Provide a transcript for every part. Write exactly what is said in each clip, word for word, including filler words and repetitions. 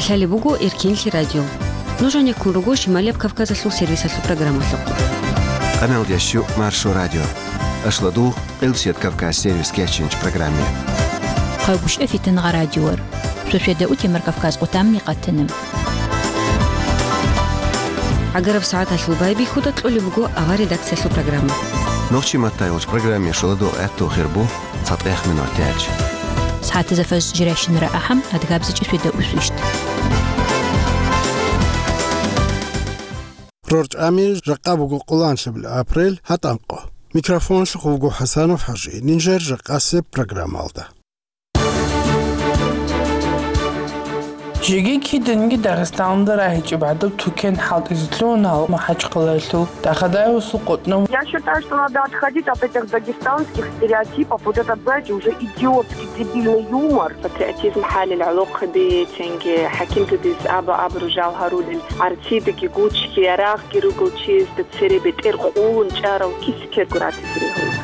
Лъалеб буго Эркенлъи радио. Нуж гьанеккун руго Шималияб Кавказалъул сервисалъул программалъухъ. Къамелдящу Маршо радио. Ашладугъ, Къилбсият Кавказ сервис кечинч программе. Хъайгуща фитангъа радиор. Швешведа утемар Кавказ къутамни къатана. Агараб сагӀаталъул байбихьуда кьолеб буго авар редакциялъул программа. Нохчи матайулч программе шуладугъ гӀатту хирбу. ЦатӀех минут тяч. СагӀатазда фаж жирайщинара ахӀам, адгабзичӀи сведа усвищт. РорчӀами жакъа буго къоланлъабил апрель, гьатӀанкъо. Микрофонлъухъ вуго ХӀасанов ХӀажи, нижер жакъасеб программалда. Жеги киданги Дагъистаналда рагьичӀеб гӀадаб тукен хӀалтӀизе лъугьуна МахӀачхъалаялъул Дахадаевасул къотӀнав. Я считаю, что надо отходить от этих дагестанских стереотипов. Вот этот, знаете, уже идиотский, дебильный юмор. Патриотизм хӀалил гӀолохъаби, цинги хӀакимтадиз аба-абру жал гьарулел, гӀарцидаги гучги, ярагъги ругел чиясда цере бетӀер къулун чӀарал киса-ккерго ратизе ригьула.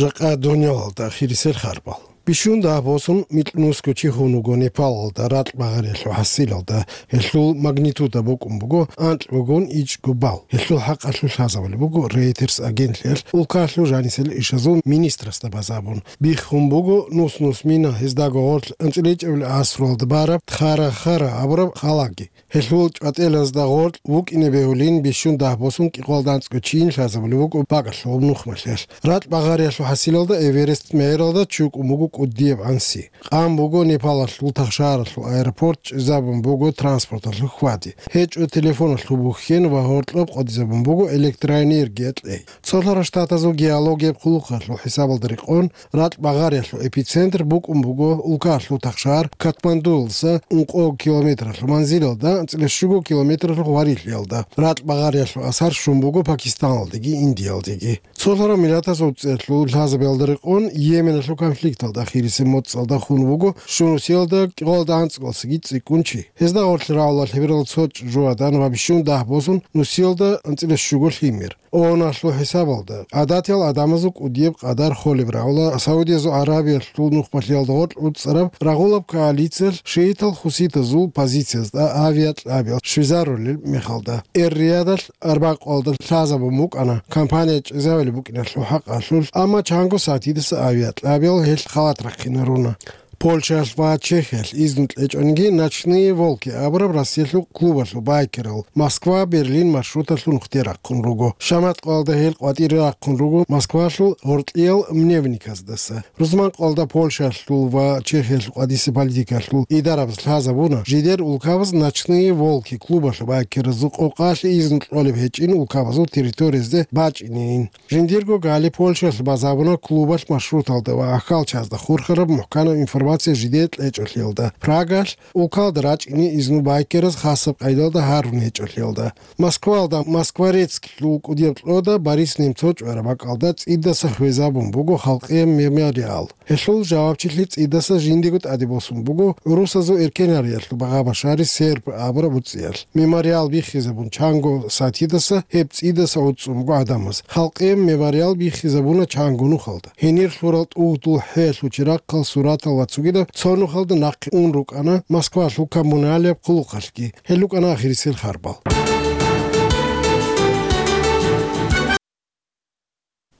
Жакъа дунялалда хирисел харбал. Бищун дагь босун микьнусго чи хун вуго Непалалда ракь багъариялъул хӀасилалда, гьелъул магнитуда букӀун буго анкьгогун ичӀго бал. Гьелъул хӀакъалъулъ лъазабулеб буго Reuters агентлъиялъ улкалъул жанисел ишазул министрасда базабун. Биххун буго нус-нус мина гьездаго гъорлъ анцӀила ичӀабилеб гӀасруялда бараб Тхара-Хара абураб халаги. Гьелъул чӀватӀелазда гъоркь вукӀине бегьулин бищун дагь босун кӀикъоялда анцӀго чийин лъазабулеб буго багалъугъаб нухмалъиялъ. Ракь багъариялъул хӀасилалда Эверест мегӀералда чукӀун буго кӀудияб гӀанси. Къан буго Непалалъул Тахшааралъул аэропорт, чӀезабун буго транспорталъул хьвади. ГьечӀо телефоналъул бухьен ва гьоркьоб къватӀизабун буго электроэнергия кьей. Цолъарал Штатазул геологияб хъулухъалъул хӀисабалда рекъон, ракь багъариялъул эпицентр букӀун буго улкалъул тахшаар Катмандуялдаса ункъо километралъул манзилалда, анцӀила щуго километралъул гьварилъиялда. Ракь багъариялъул асар щун буго Пакистаналдеги Индиялдеги. Цолъарал Миллатазул ЦӀелъул лъазабиялда рекъон, Йеменалъул конфликталда хирисеб моцӀалда хун вуго щунусиялда кӀикъоялда анцӀгоялдасаги цӀикӀкӀун чи. Гьезда гъорлъ рагӀула лъеберал цо чӀужугӀадан ва бищун дагь босун нусиялда анцӀила щуго лъимер. ООНалъул хӀисабалда, гӀадатиял гӀадамазул кӀудияб къадар холеб рагӀула Саудиязул Аравиялъул нухмалъиялда гъоркь уцӀцӀараб рагъулаб коалициялъ шиитал-хуситазул позициязда авиакьабиял щвезарулел мехалда. Эр-Риядалъ Арбякъоялда лъазабун букӀана компания чӀезавилеб букӀиналъул хӀакъалъулъ, амма чанго сатидаса авиакьабиял гьелъ халат рахъинаруна. Польшаялъ ва Чехиялъ изну кьечӀониги, «Ночные волки» абураб Россиялъул клубалъул байкерал Москва – Берлин маршруталъул нухде рахъун руго. Шаматкъоялда гьел къватӀире рахъун руго Москвалъул гъоркьиял Мневниказдаса. Рузманкъоялда Польшаялъул ва Чехиялъул къватӀисе политикалъул идарабаз лъазабуна, жидер улкабаз «Ночные волки» клубалъул байкеразул къокъалъе изну кьолеб гьечӀин улкабазул территориязде бачӀинейин. Жиндирго гали Польшаялъ базабуна клубалъ маршруталда ва ахьалчазда хурхараб мухӀканаб информация жидее кьечӀолъиялда. Прагалъ улкалда рачӀине изну байкераз хасаб къайдалда гьарун гьечӀолъиялда. Москвалда Москворецклъул кӀудияб кьода Борис Немцов чӀвараб бакӀалда цӀидаса хвезабун буго халкъияб мемориал. Гьелъул жавабчилъи цӀидаса жиндиего тӀаде босун буго гӀурусазул эркенарриялъул багъа-башари Серб абураб уцӀиялъ. Мемориал биххизабун чанго сатидаса гьеб цӀидаса уцӀцӀун буго гӀадамаз. Халкъияб мемориал биххизабуна чанго нухалда. Гьенир лъурал тӀугьдул хӀелъул чирахъал, суратал ва цогидаб цо нухалда нахъе ун рукӀана Москвалъул коммуналияб хъулухъалъги. Гьел рукӀана ахирисел харбал.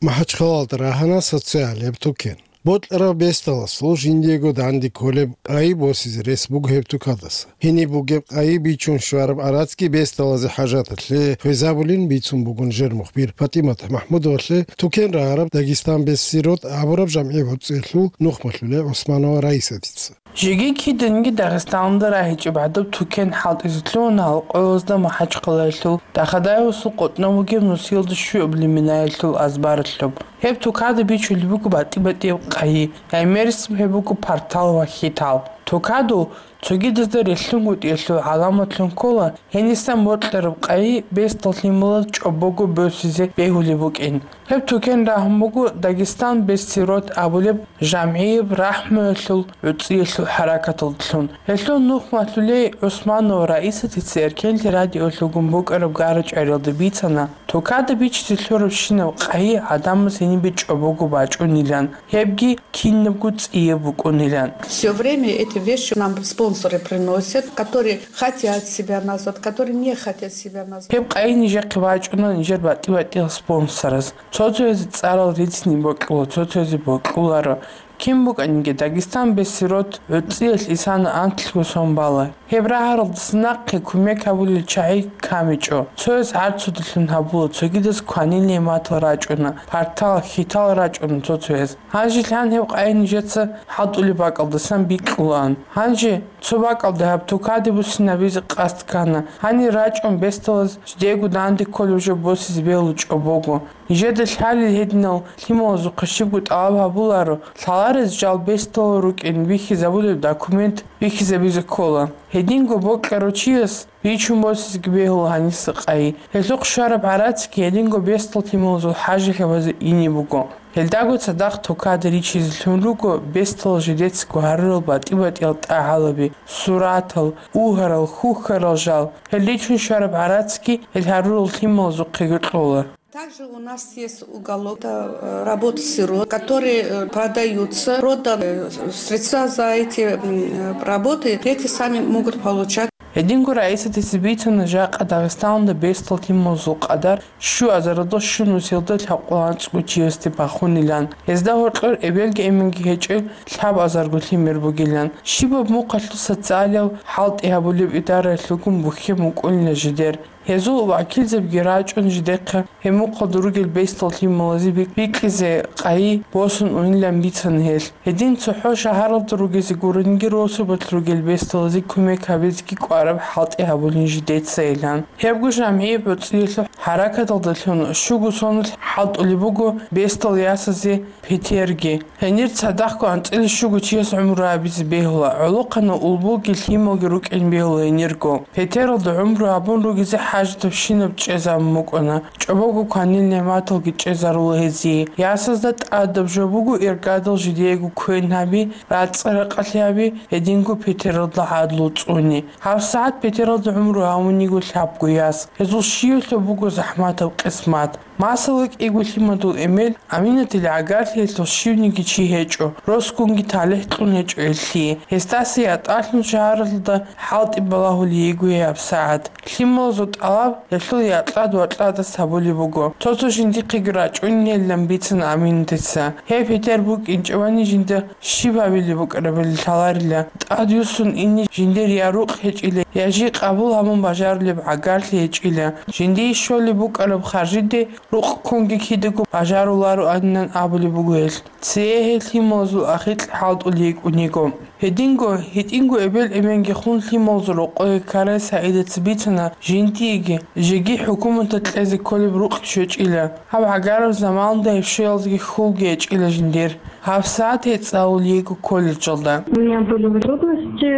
МахӀачхъалалда рагьана социалияб тукен. Бокьараб бесдаласул жиндиего данде кколеб къайи босизе рес буго гьеб тукадаса. Гьениб бугеб къайи бичун щвараб арацги бесдалазе хӀажаталъе хвезабулин бицун бугун жер мухбир ПатӀимат МахӀмудовалъе тукен рагьараб «Дагестан без сирот» абураб жамгӀи гӀуцӀиялъул нухмалъуле ГӀусманова Раисатица. Жеги киданги Дагъистаналда рагьичӀеб гӀадаб тукен хӀалтӀизе лъугьуна гьалкъоялда МахӀачхъалаялъул Дахадаевасул къотӀнав вугеб нусиялда щуабилеб минаялъул азбаралъуб. Гьеб тукада бичулеб буго батӀи-батӀияб къайи, гӀемерисеб гьеб буго партал ва хьитал. Тукадул Цогидазда релълъунгутӀиялъул гӀаламатлъун ккола гьенисан бокьараб къайи бесдал лъималаз чӀобого босизе бегьулеб букӀин. Гьеб тукен рагьун буго «Дагестан без сирот» абулеб жамгӀияб рахӀмуялъул гӀуцӀиялъул хӀаракаталдалъун. Гьелъул нух малъулей ГӀусманова Раисатица Эркенлъи радиолъугун букӀараб гара-чӀвариялда бицана, тукада бичизе лъурабщинаб къайи гӀадамаз гьенибе чӀобого бачӀунилан, гьебги кинабго цӀияб букӀунилан. Все время эти вещи нам спонсоры приносят, которые хотят себя назвать, которые не хотят себя назвать. Гьеб къайи нижехъе бачӀуна нижер батӀи-батӀиял спонсораз. Цо-цоязе цӀарал рицни бокьула, цо-цоязе бокьуларо. Кин букӀаниги, «Дагестан без сирот» гӀуцӀиялъ исана анлъго сон бала. Гьеб рагьаралдаса нахъе кумек гьабулел чагӀи камичӀо. Цояз гӀарцудалъун гьабула, цогидаз кванил нигӀматал рачӀуна, партал, хьитал рачӀуна цо-цояз. Гьанже лъан гьеб къайи нижеца хӀалтӀулеб бакӀалдасан бикьулаан. Гьанже цо бакӀалда гьаб тукаде буссинабизе къасд ккана. Гьанир рачӀун бесдалаз жидеего данде кколеб жо босизе бегьула чӀобого. Нижеда лъалел гьединал лъималазухъе щибго тӀалаб гьабуларо, лъаларез жал бесдалал рукӀин бихьизабулеб документ бихьизабизе ккола. Гьединго бокьарав чияс бичун босизеги бегьула гьаниса къайи. Гьелъухъ щвараб гӀарацги гьединго бесдал лъималазул хӀажалъабазе ине буго. Гьелдаго цадахъ тукада ричизе лъун руго бесдал жидецаго гьарурал батӀи-батӀиял тӀагӀалаби, суратал, угьарал, хьухьарал жал. Гьел ричун щвараб гӀарацги гьел гьарурал лъималазухъеги кьола. Также у нас есть уголок, это, э, работы сирот, которые, э, продаются, проданы, э, средства за эти, м, э, работы, дети сами могут получать. Гьединго Раисатица бицана, жакъа Дагъистаналда бесдал лъималазул къадар щуазаралда щун нусиялда лъабкъоялда анцӀго чиясде бахунилан. Гьезда гьоркьор эбелги эменги гьечӀел лъабазарго лъимер бугилан. Щибаб мухъалъуса цӀалиял хӀалтӀи гьабулеб идараялъулгун бухьен букӀунила жидер. Гьезул вакилзабиги рачӀун жидехъе гьеб мухъалда ругел бесдал лъималазе бик-, бикьизе къайи босун унилан бицана гьелъ. Гьедин цохӀо шагьаралда ругезе гурониги росубалъ ругел бесдалазе кумек гьабизеги кӀвараб хӀалтӀи гьабулин жидецайилан. Гьебго жамгӀияб гӀуцӀиялъул хӀаракаталдалъун щуго соналъ хӀалтӀулеб буго бесдал ясазе Петерги. Гьенир цадахъго анцӀила щуго чияс гӀумру гьабизе бегьула, гӀолохъанав улбуги лъималги рукӀин бегьула гьенирго. Петералда гӀумру гьабун ругезе хӀажатабщинаб чӀезабун букӀана, чӀобого кванил нигӀматалги чӀезарула гьезие. Ясазда тӀадаб жо буго иргадал жидеего квен гьаби, рацӀцӀа-ракъалъи гьаби, гьединго Петералда гӀадлу цӀуни. ГьабсагӀат Петералда гӀумру гьавуниго лъабго яс. Гьезул щиялъул буго захӀматаб къисмат. Масала, кӀиго лъимадул эмен Аминатил гӀагарлъиялъул щивниги чи гьечӀо, росгунги талихӀ кьун гьечӀо гьелъие. Гьесдаса ятӀалъун шагьаралда хӀалтӀи балагьулей йиго гьабсагӀат. Лъималазул тӀалаб гьелъул якьад-вакьадас гьабулеб буго. Цо-цо жиндихъеги рачӀунейилан бицана Аминатица. Гьеб Петер букӀинчӀебани жинда щиб гьабилеб букӀарабали лъаларила. ТӀадвуссун ине жиндир я рукъ гьечӀила, я жий къабул гьабун бажарулеб гӀагарлъи гьечӀила. Жиндие щолеб букӀараб харжиде рукъ ккунги кидаго бажарулароанилан абулеб буго гьелъ. Цее гьел лъималазул ахикь хӀалтӀулей йикӀун йиго. Гьединго, гьитӀинго эбел-эменги хун лъималазул рокъое ккарай СагӀидица бицана, жиндиеги жеги хӀукуматалъ кьезе кколеб рукъ щвечӀила. Гьаб гӀагараб заманалда гьеб щвеялдеги хьулги гьечӀила жиндир. ГьабсагӀат гьей цӀалулей йиго колледжалда. У меня были трудности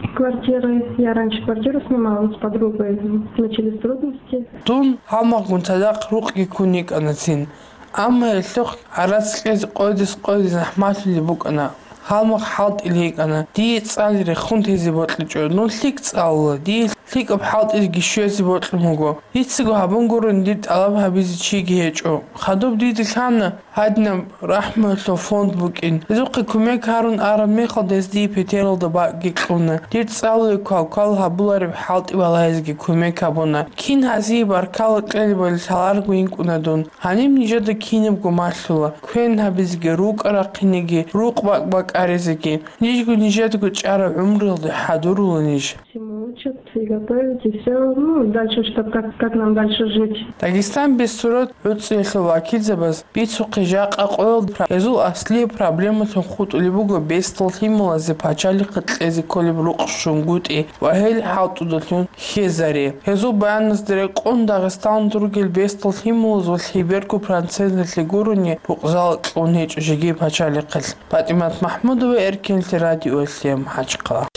с квартирой. Я раньше квартиру снимала с подругой. Начались трудности. Дун гьалмагъгун цадахъ рукъги ккун йикӀанацин. Амма гьелъухъ гӀарац кьезе къойдас-къойде захӀмалъулеб букӀана. Гьалмагъ хӀалтӀулей йикӀана. Дие цӀалире хун тезе бокьичӀо. Дун лъикӀ цӀалула. Дие лъикӀаб хӀалтӀизеги щвезе бокьун буго. Дицаго гьабун гурони дир тӀалаб гьабизе чиги гьечӀо. Хадуб дида лъана гьадинаб рахӀмуялъул фонд букӀин. Гьезухъе кумек гьарун араб мехалда гьез дие Петералда бакӀги кьуна. Дир цӀалуе квалквал гьабулареб хӀалтӀи балагьизеги кумек гьабуна. Кин гьазие баркала кьелебали лъаларго йикӀуна дун. Гьаниб нижеда кинабго малъула, квен гьабизеги, рукӀа рахъинеги, рукъ бакӀбакӀаризеги. Нижго нижедаго чӀараб гӀумруялде хӀадурула ниж. Всему учат и готовят, и всё. Ну, дальше, чтоб как, как нам дальше жить. Дагестан без сирот гӀуцӀиялъул вакилзабаз бицухъе жакъа къоялда пра-, гьезул аслияб проблемалъун хутӀулеб буго бесдал лъималазе пачалихъе кьезе кколеб рукъ щунгутӀи ва гьел хӀалтӀудалъун хьезари. Гьезул баяназда рекъон Дагъистаналда ругел бесдал лъималаз ва лъеберго проценталъе гурони рукъзал кьун гьечӀо жеги пачалихъалъ. ПатӀимат МахӀмудова, Эркенлъи радиоялъе, МахӀачхъала.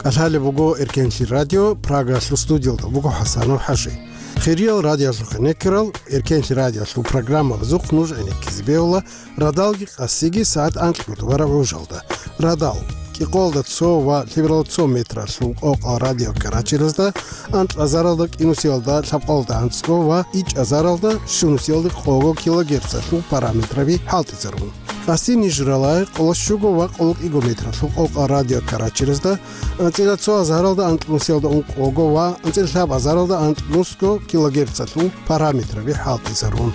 Алхалеб буго Эркенлъи радио, Прагалъул студиялда буго ХӀасанов ХӀажи. Хириял радиолъухъе некерал, Эркенлъи радиолъул программабазухъ нуж гӀенеккизе бегьула радалги къасиги сагӀат анкьго тӀубараб гӀужалда. Радал, кӀикъоялда цо ва лъебералда цо метралъул къокъал радиокарачелазда, анкьазаралда кӀинусиялда лъабкъоялда анцӀго ва ичӀазаралда щунусиялда къого килогерцалъул параметраби хӀалтӀизарун. Къаси нижералай къоло щуго ва къоло кӀиго метралъул къокъал радиокарачелазда, анцӀила цо азаралда анкьнусиялда ункъого ва анцӀила лъаб азаралда анкьнусго килогерцалъул параметраби хӀалтӀизарун.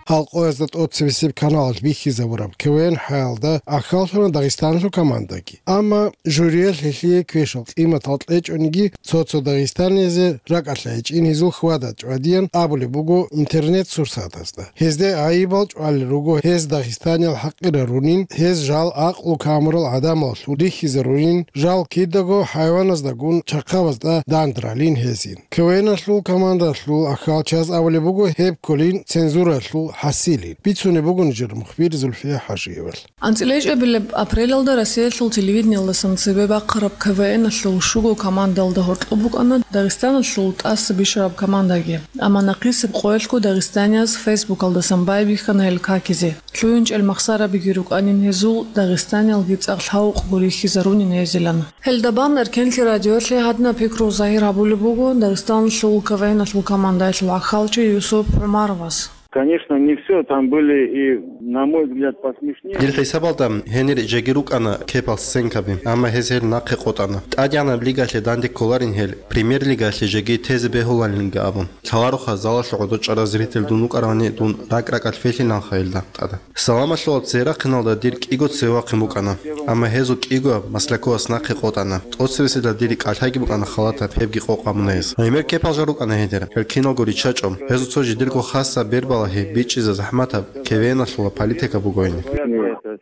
Гьалкъоязда тӀоцебесеб каналалъ бихьизабураб КВН хӀаялда ахьаллъуна Дагъистаналъул командаги. Амма жюриялъ гьелъие квешал къиматал кьечӀониги, цо-цо дагъистанизе ракӀалъа гьечӀин гьезул хьвада-чӀвадиян абулеб буго интернет-сурсатазда. Гьезде гӀайибал чӀвалел руго гьез дагъистаниял хӀакъирарунин, гьез жал гӀакълу камурал гӀадамаллъун рихьизарунин, жал кидаго хӀайваназдагун чахъабазда дандралин гьезин. КВН-алъул командалъул ахьалчияз абулеб буго гьеб кколин цензуралъул хӀасилин. Бицунеб буго нижер мухбир Зульфия ХӀажиевалъ. АнцӀила ичӀабилеб апрелалда Россиялъул телевидениялдасан цебе бахъараб КВН-алъул щуго командалда гьоркьоб букӀана Дагъистаналъул тӀаса бищараб командаги. Амма нахъисеб къоялъго дагъистанияз Фейсбукалдасан байбихьана гьел какизе. ЛъугӀинчӀел махсарабиги рукӀанин гьезул, дагъистаниялги цӀакъ лъавукъго рихьизарунин гьезилан. Гьелда бан Эркенлъи радиолъе гьадинаб пикру загьир гьабулеб буго Дагъистаналъул КВН-алъул командаялъул ахьалчи Юсуп ГӀумаровас. Конечно, не все. Там были и, на мой взгляд, посмешнее. Дир хӀисабалда, гьенир жеги рукӀана кепал сценкаби, амма гьез гьел нахъе къотӀана. ТӀадегӀанаб лигалъе данде кколарин гьел, премьер-лигаялъе жеги тезе бегьуларинги абун. Лъалароха залалъ гӀодор чӀарал зритель дун вукӀаравани дун ракӀ-ракӀалъ фелъиланха гьелда тӀада. Саламалъула церахъиналда дир кӀиго цевахъин букӀана, амма гьезул кӀигояб Масляковас нахъе къотӀана. ТӀоцебесеб дир кӀалъайги букӀана халатаб, гьебги къокъ гьабуна гьез. Гьемер кепал жал рукӀана гьедер, гьел киналго риччачӀо. Гьезул цо жидерго хасаб бербалагьи бичӀчӀизе захӀматаб КВН-алъула политика буго гьениб.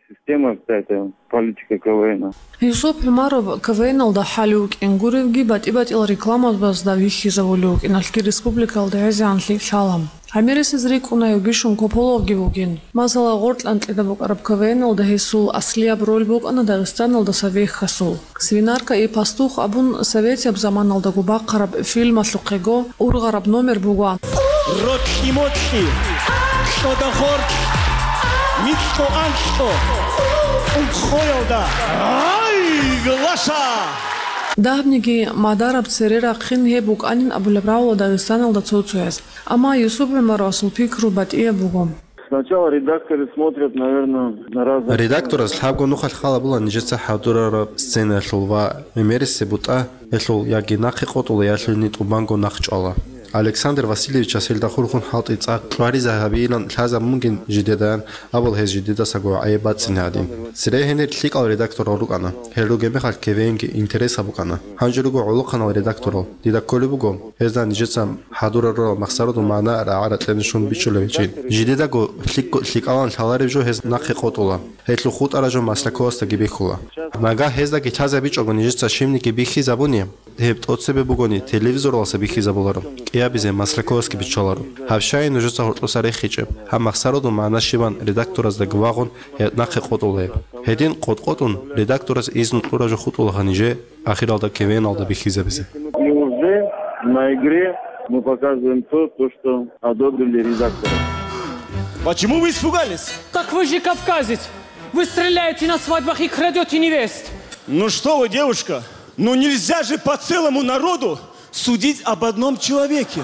Система какая-то, политика КВН. Юсуп ГӀумаров КВН-алда хӀалев вукӀин гуревги, батӀи-батӀиял рекламабазда вихьизавулев вукӀиналъги республикалда гӀезегӀанлъи лъала. ГӀемерисез рикӀкӀуна гьев бищун Кополовги вугин. Масала, гъоркь анкьида букӀараб КВН-алда гьесул аслияб роль букӀана Дагъистаналдаса вехьасул. «Свинарка и пастух» абун советияб заманалдаго бахъараб фильмалъухъего ургъараб номер буго. Рокьи-мокьи, кьода-хоркь, микьго-анкьго, унхъоялда гӀай, глаша! Дагьабниги мадараб цере рахъин гьеб букӀанин абулеб равла Дагъистаналда цо-цояз. Амма Юсуп ГӀумаровасул пикру батӀияб буго. Сначала редакторы смотрят, наверное, на разные... Редактораз лъабго нухалъ хал гьабула нижеца хӀадурараб сценаялъул ва гӀемерисеб бутӀа, ялъул яги нахъе къотӀула, ялъуни тӀубанго нахъ чӀвала. Александр Васильевичас гьелда хурхун хӀалтӀи цӀакъ кьваризе гьабейилан лъазабун бугин жидедаян абул гьез жидедасаго гӀайиб бацӀцӀине гӀадин. Цере гьенир лъикӀал редакторал рукӀана. Гьел ругеб мехалъ КВН-ги интересаб букӀана. Гьанже руго гӀолохъанал редакторал. Дида кколеб буго, гьезда нижеца хӀадурарурал махсарудул магӀна рагӀа-ракьалде щун бичӀчӀулеб гьечӀин. Жидедаго лъикӀ-, лъикӀалан лъалареб жо гьез нахъе къотӀула. Гьелъул хутӀараб жо Масляковасдаги бихьула. Нагагь гьездаги лъазабичӀого нижеца щибниги бихьизабуни, гьеб тӀоцебе бугони, телевизоралдаса бихьизабуларо, кӀиабизе Масляковасги биччаларо. Гьаб щай нужеца гьоркьоса рехичӀеб, гьаб махсарудул магӀна щибан редактораздаги вагъун гьеб нахъе къотӀула гьеб. Гьедин къотӀ-къотӀун редакторас изну кьураб жо хутӀула гьанже. Ахиралда КВН-алда бихьизабизе. И уже на игре мы показываем то, то, что одобрили редакторы. Почему вы испугались? Так вы же кавказец! Вы стреляете на свадьбах и крадете невест! Ну что вы, девушка, ну нельзя же по целому народу судить об одном человеке!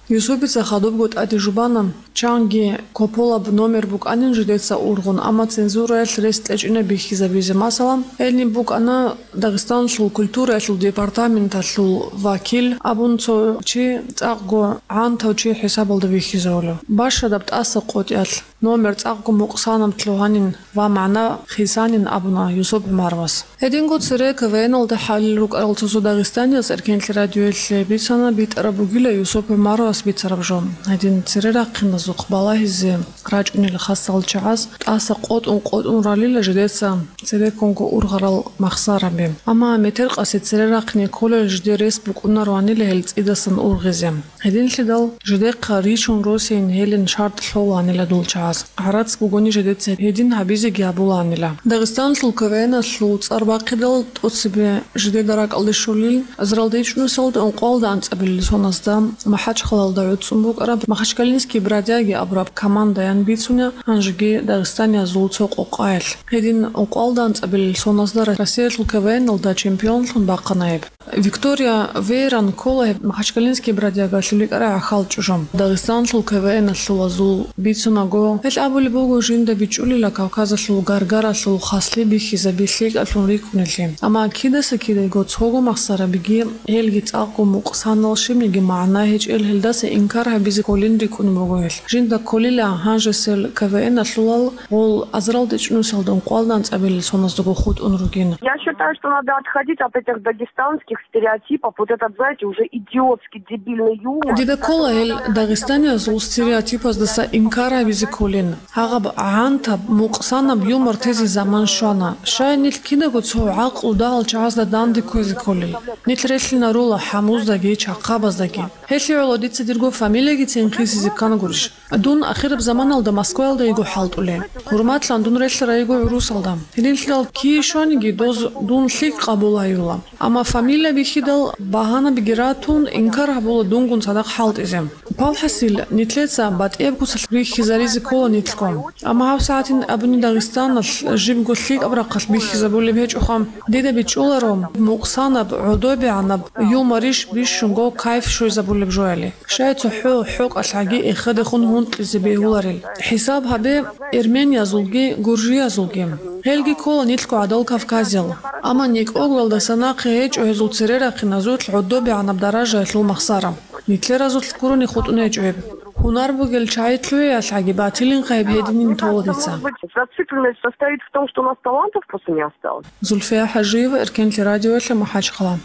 Юсупица хадубго тӀаде жубана, чанги Кополаб номер букӀанин жидеца ургъун, амма цензураялъ рес кьечӀина бихьизабизе. Масала, гьениб букӀана Дагъистаналъул культураялъул департаменталъул вакил абун цо чи, цӀакъго гӀантав чи хӀисабалда вихьизавулев. Бащадаб тӀаса къотӀиялъ номер цӀакъго мукъсанаб лъугьанин ва магӀна хисанин абуна Юсуп ГӀумаровас. Гьединго цере КВН-алда хӀалел рукӀарал цо-цо дагъистанияз Эркенлъи радиоялъе бицана битӀараб бугила Юсуп ГӀумаровас бицараб жо. Гьедин цере рахъиназухъ балагьизе рачӀунел хасал чагӀаз тӀаса къотӀун-къотӀун ралила жидеца цереккунго ургъарал махсараби. Амма метер къаси цере рахъине кколел жидер рес букӀунароанила гьел цӀидасан ургъизе. Гьединлъидал жидехъа ричун росейин гьелин шартӀ лъолаанила дул чагӀаз. ГӀарац бугони жидеца гьедин гьабизеги гьабулаанила. Дагъистанлъул КВН-алъул цӀар бахъидал тӀоцебе жидеда ракӀалде щолил, азаралда ичӀнусалда ункъоялда анцӀабилел соназда МахӀачхъалалда гӀуцӀун букӀараб Махачкалинские бродяги абураб командаян бицуна гьанжеги дагъистаниязул цо къокъаялъ. Гьедин ункъоялда анцӀабилел соназда Россиялъул КВН-алда чемпионлъун бахъана гьеб. Виктория Вейран ккола гьеб Махачкалинские бродягалъул рикӀкӀарай гӀахьал чӀужу. Дагъистанлъул КВН-алъул азул бицунаго, гьелъ абулеб буго жинда бичӀчӀулила Кавказалъул гаргаралъул хаслъи бихьизаби лъикӀалъун рикӀкӀунелъи. Амма кидаса кидаго цого махсарабиги, гьелги цӀакъго мукъсанал щибниги магӀна гьечӀел гьелдаса инкар гьабизе кколин рикӀкӀун буго гьелъ. Жинда кколила гьанжесел КВН-алъулал гъол азаралда ичӀнусалда ункъоялда анцӀабилел соназдаго хутӀун ругин. Я считаю, что надо отходить от этих дагестанских стереотипов, вот этот, знаете, уже идиотский, дебильный юмор. Дида ккола гьел дагъистаниязул стереотипаздаса инкар гьабизе кколин. Гьагъаб гӀантаб, мукъсанаб юмор тезе заман щвана. Щай нилъ кидаго цо гӀакълу дагьал чагӀазда данде кквезе кколел? Нилъ релълъинарула хӀамуздаги, чахъабаздаги. Гьелъие гӀоло дица дирго фамилиягицин хисизе ккан гурищ? Дун ахираб заманалда Москваялда йиго хӀалтӀулей. ХӀурматлъан дун релълъарай йиго гӀурусалда. Гьединлъидал кие щваниги доз дун лъикӀ къабул гьаюла. Амма фамилия бихьидал багьанабиги ратун, инкар гьабула дунгун цадахъ хӀалтӀизе. Палхасил, нилъеца батӀияб куцалъ бихьизаризе ккола нилъго. Амма гьабсагӀатин абуни Дагъистаналъ жибго лъикӀаб рахъалъ бихьизабулеб гьечӀоха, дида бичӀчӀуларо мукъсанаб, гӀодобегӀанаб юморищ бищунго кайф щвезабулеб жояли. Щай цохӀо хӀокъалъ гӀаги эхедехун гьункьизе бегьуларел? ХӀисаб гьабе, эрмениязулги, гуржиязулги. Гьелги ккола нилъго гӀадал Кавказиял. Амма некӀогоялдаса нахъе гьечӀо гьезул цере рахъиназулъ гӀодобегӀанаб даражаялъул махсара. Нилъеразулъ гурони хутӀун гьечӀо гьеб. Гьунар бугел чагӀи лъугӀиялъ гӀаги батилинха гьеб гьединин тола дица. Зацикленность состоит в том, что у нас талантов просто не осталось. Зульфия ХӀажиева, Эркенлъи радиоялъе, МахӀачхъала.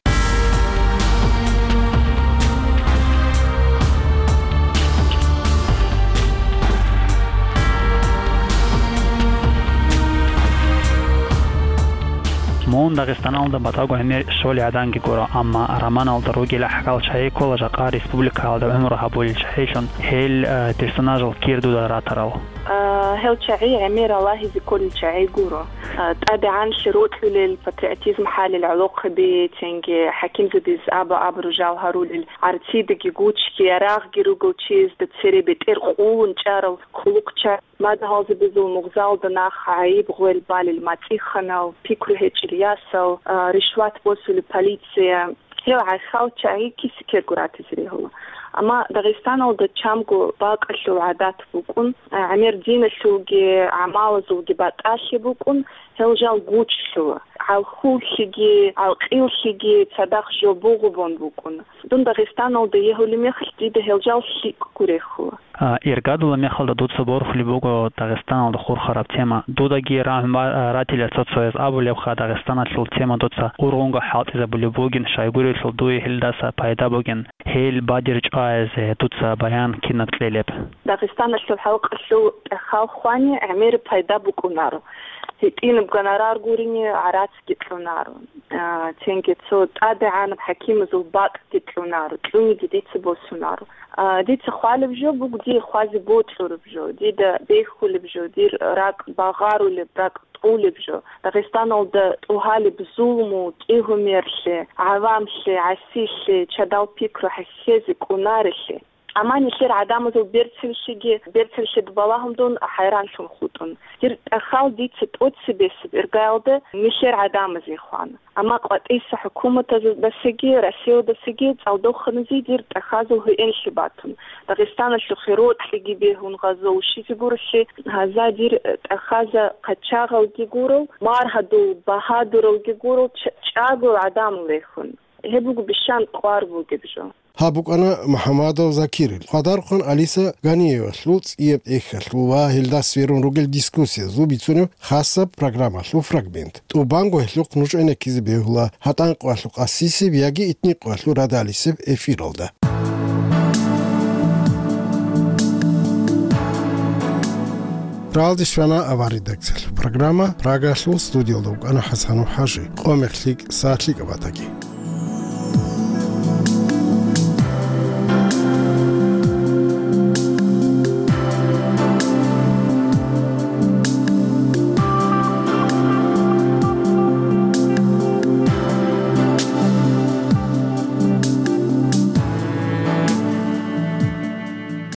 Мун Дагъистаналда батӀаго гӀемер щолигӀаданги гуро, амма романалда ругел гӀахьал чагӀи ккола жакъа республикаялда гӀумру гьабулел чагӀилъун, гьел, э, персонажал кир дуда ратарал. А, гьел чагӀи гӀемер ралагьизе кколел чагӀи гуро. А, тӀадегӀанлъи рокьулел, патриотизм хӀалел гӀолохъаби, цинги хӀакимзабиз аба-абру жал гьарулел, гӀарцидеги гучги, ярагъги ругел чиясда цере бетӀер къулун чӀарал хъулухъчагӀи, мадугьалзабазул мугъзалда нах гӀайиб гъвел балел мацӀиханал, пикру гьечӀел ясал, а, ришват босулеб полиция, гьел гӀахьал чагӀи киса-ккерго ратизе регьула. Амма Дагъистаналда чамго бакӀалъул гӀадат букӀун, гӀемер диналъулги гӀамалазулги батӀалъи букӀун, гьел жал гучлъула. ГӀалхуллъиги, гӀалкъиллъиги цадахъ жо бугъу бон букӀуна. Дун Дагъистаналда егьулеб мехалъ дида гьел жал лъикӀго рехула. А, иргадулаб мехалда дуца борхулеб буго Дагъистаналда хурхараб тема. Дудаги рагӀун ба-, а, ратила цо-цояз абулебха, Дагъистаналъул тема дуца ургъунго хӀалтӀизабулеб бугин, щайгурелъул дуе гьелдаса пайда бугин, гьел бадир чӀвазе дуца баян кинаб кьелеб? Дагъистаналъул халкъалъул тӀахьал хвани гӀемер пайда букӀунаро. ГьитӀинаб гонорар гурине гӀарацги кьунаро. А, цинги цо тӀадегӀанаб хӀакимазул бакӀги кьунаро, кьуниги дица босунаро. А, дица хвалеб жо буго, дие хвазе бокьураб жо, дида бехулеб жо, дир ракӀ багъарулеб, ракӀ тӀулеб жо. Дагъистаналда тӀугьалеб зулму, кӀигьумерлъи, гӀавамлъи, гӀасилъи, чадал пикру хӀехьезе кӀунарелъи. Амма нилъер гӀадамазул берцинлъиги, берцинлъида балагьун дун хӀайранлъун хутӀун. Дир тӀахьал дица тӀоцебесеб иргаялда нилъер гӀадамазе хвана. Амма къватӀиса хӀукуматаздасаги, Россиядасаги цӀалдоханазе дир тӀахьазул гьуинлъи батун. Дагъистаналъухъе рокьиги бегьун гъазо ушизе гурелъи, гьаза дир тӀахьаза къачагъалги гурел, маргьадул багьадуралги гурел, ч-, чӀагоял гӀадамал рехун. Гьеб буго бищан кӀвар бугеб жо. Гьаб букӀана МухӀамадов Закирил, Къадархъан Алиса Ганиевалъул цӀияб тӀехьалъул ва гьелда сверун ругел дискуссиязул бицунеб хасаб программалъул фрагмент. ТӀубанго гьелъухъ нуж гӀенеккизе бегьула гьатӀан къоялъул къасисеб яги итни къоялъул радалисеб эфиралда. Ралдищ вана авар редакциялъул программа, Прагалъул студиялда вукӀана ХӀасанов ХӀажи. Къо мех лъикӀ, сагӀат лъикӀаб батаги.